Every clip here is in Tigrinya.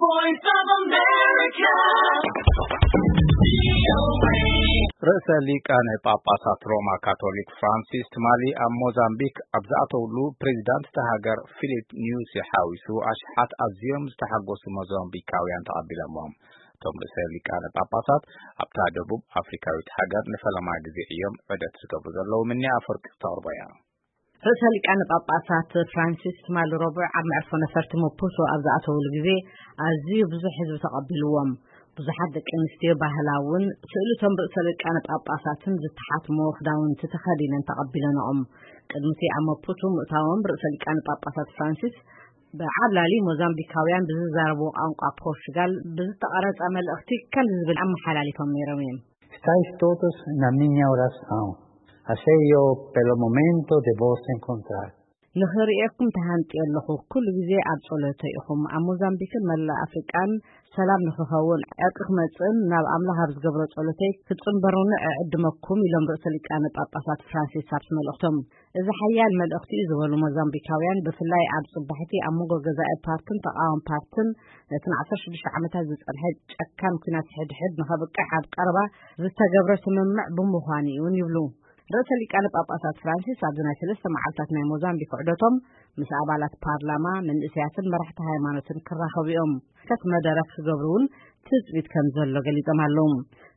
Voice of America. ርእሰ ሊቃነ ጳጳሳት ሮማ ካቶሊክ ፍራንሲስ ትማሊ ኣብ ሞዛምቢክ ኣብ ዝኣተውሉ፣ ፕሬዚዳንት እታ ሃገር ፊሊፕ ኒዩሲ ሓዊሱ ኣሽሓት ኣዝዮም ዝተሓጎሱ ሞዛምቢካውያን ተቐቢሎምዎም። እቶም ርእሰ ሊቃነ ጳጳሳት ኣብታ ደቡብ ኣፍሪካዊት ሃገር ንፈለማ ግዜ እዮም ዑደት ዝገብሩ ዘለዉ። ምንያ ኣፈወርቂ ክተቕርቦ እያ። ርእሰ ሊቃነ ጳጳሳት ፍራንሲስ ትማሊ ረቡዕ ኣብ መዕርፎ ነፈርቲ መፑቶ ኣብ ዝኣተውሉ ግዜ ኣዝዩ ብዙሕ ህዝቢ ተቐቢልዎም። ብዙሓት ደቂ ኣንስትዮ ባህላውን ስእልቶም ርእሰ ሊቃነ ጳጳሳትን ዝተሓትሞ ክዳውንቲ ተኸዲነን ተቐቢለንኦም። ቅድሚቲ ኣብ መፑቶ ምእታዎም ርእሰ ሊቃነ ጳጳሳት ፍራንሲስ ብዓብላሊ ሞዛምቢካውያን ብዝዛረብዎ ቋንቋ ፖርቹጋል ብዝተቐረጸ መልእኽቲ ከምዚ ዝብል ኣመሓላሊፎም ነይሮም እዮም። Estáis todos na minha oração. Así yo, pelo momento, de vos encontrar. ንኽርእየኩም ተሃንጥየ ኣለኹ። ኩሉ ግዜ ኣብ ጸሎተ ኢኹም። ኣብ ሞዛምቢክን መላእ ኣፍሪቃን ሰላም ንኽኸውን፣ ዕርቂ ክመጽእን ናብ ኣምላኽ ኣብ ዝገብሮ ጸሎተይ ክትጽንበሩኒ እዕድመኩም፣ ኢሎም ርእሰ ሊቃነ ጳጳሳት ፍራንሲስ ኣብቲ መልእኽቶም። እዚ ሓያል መልእኽቲ እዩ ዝበሉ ሞዛምቢካውያን፣ ብፍላይ ኣብ ጽባሕቲ ኣብ መንጎ ገዛኢ ፓርትን ተቓዋሚ ፓርትን ነቲ ን16 ዓመታት ዝጸንሐ ጨካን ኲናት ሕድሕድ ንኸብቅዕ ኣብ ቀረባ ዝተገብረ ስምምዕ ብምዃኑ እዩን ይብሉ። ርእሰ ሊቃነ ጳጳሳት ፍራንሲስ ኣብዚ ናይ ሰለስተ መዓልታት ናይ ሞዛምቢክ ዑደቶም ምስ ኣባላት ፓርላማ፣ መንእሰያትን መራሕቲ ሃይማኖትን ክራኸቡ እዮም። ከት መደረ ክገብሩ እውን ትጽቢት ከም ዘሎ ገሊጾም ኣለዉ።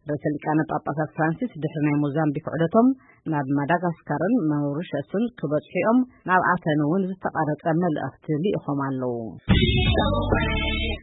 ርእሰ ሊቃነ ጳጳሳት ፍራንሲስ ድሕሪ ናይ ሞዛምቢክ ዑደቶም ናብ ማዳጋስካርን ማውሪሸስን ክበጽሑ እዮም። ናብ ኣተን እውን ዝተቐረጸ መልእኽቲ ልኢኾም ኣለዉ።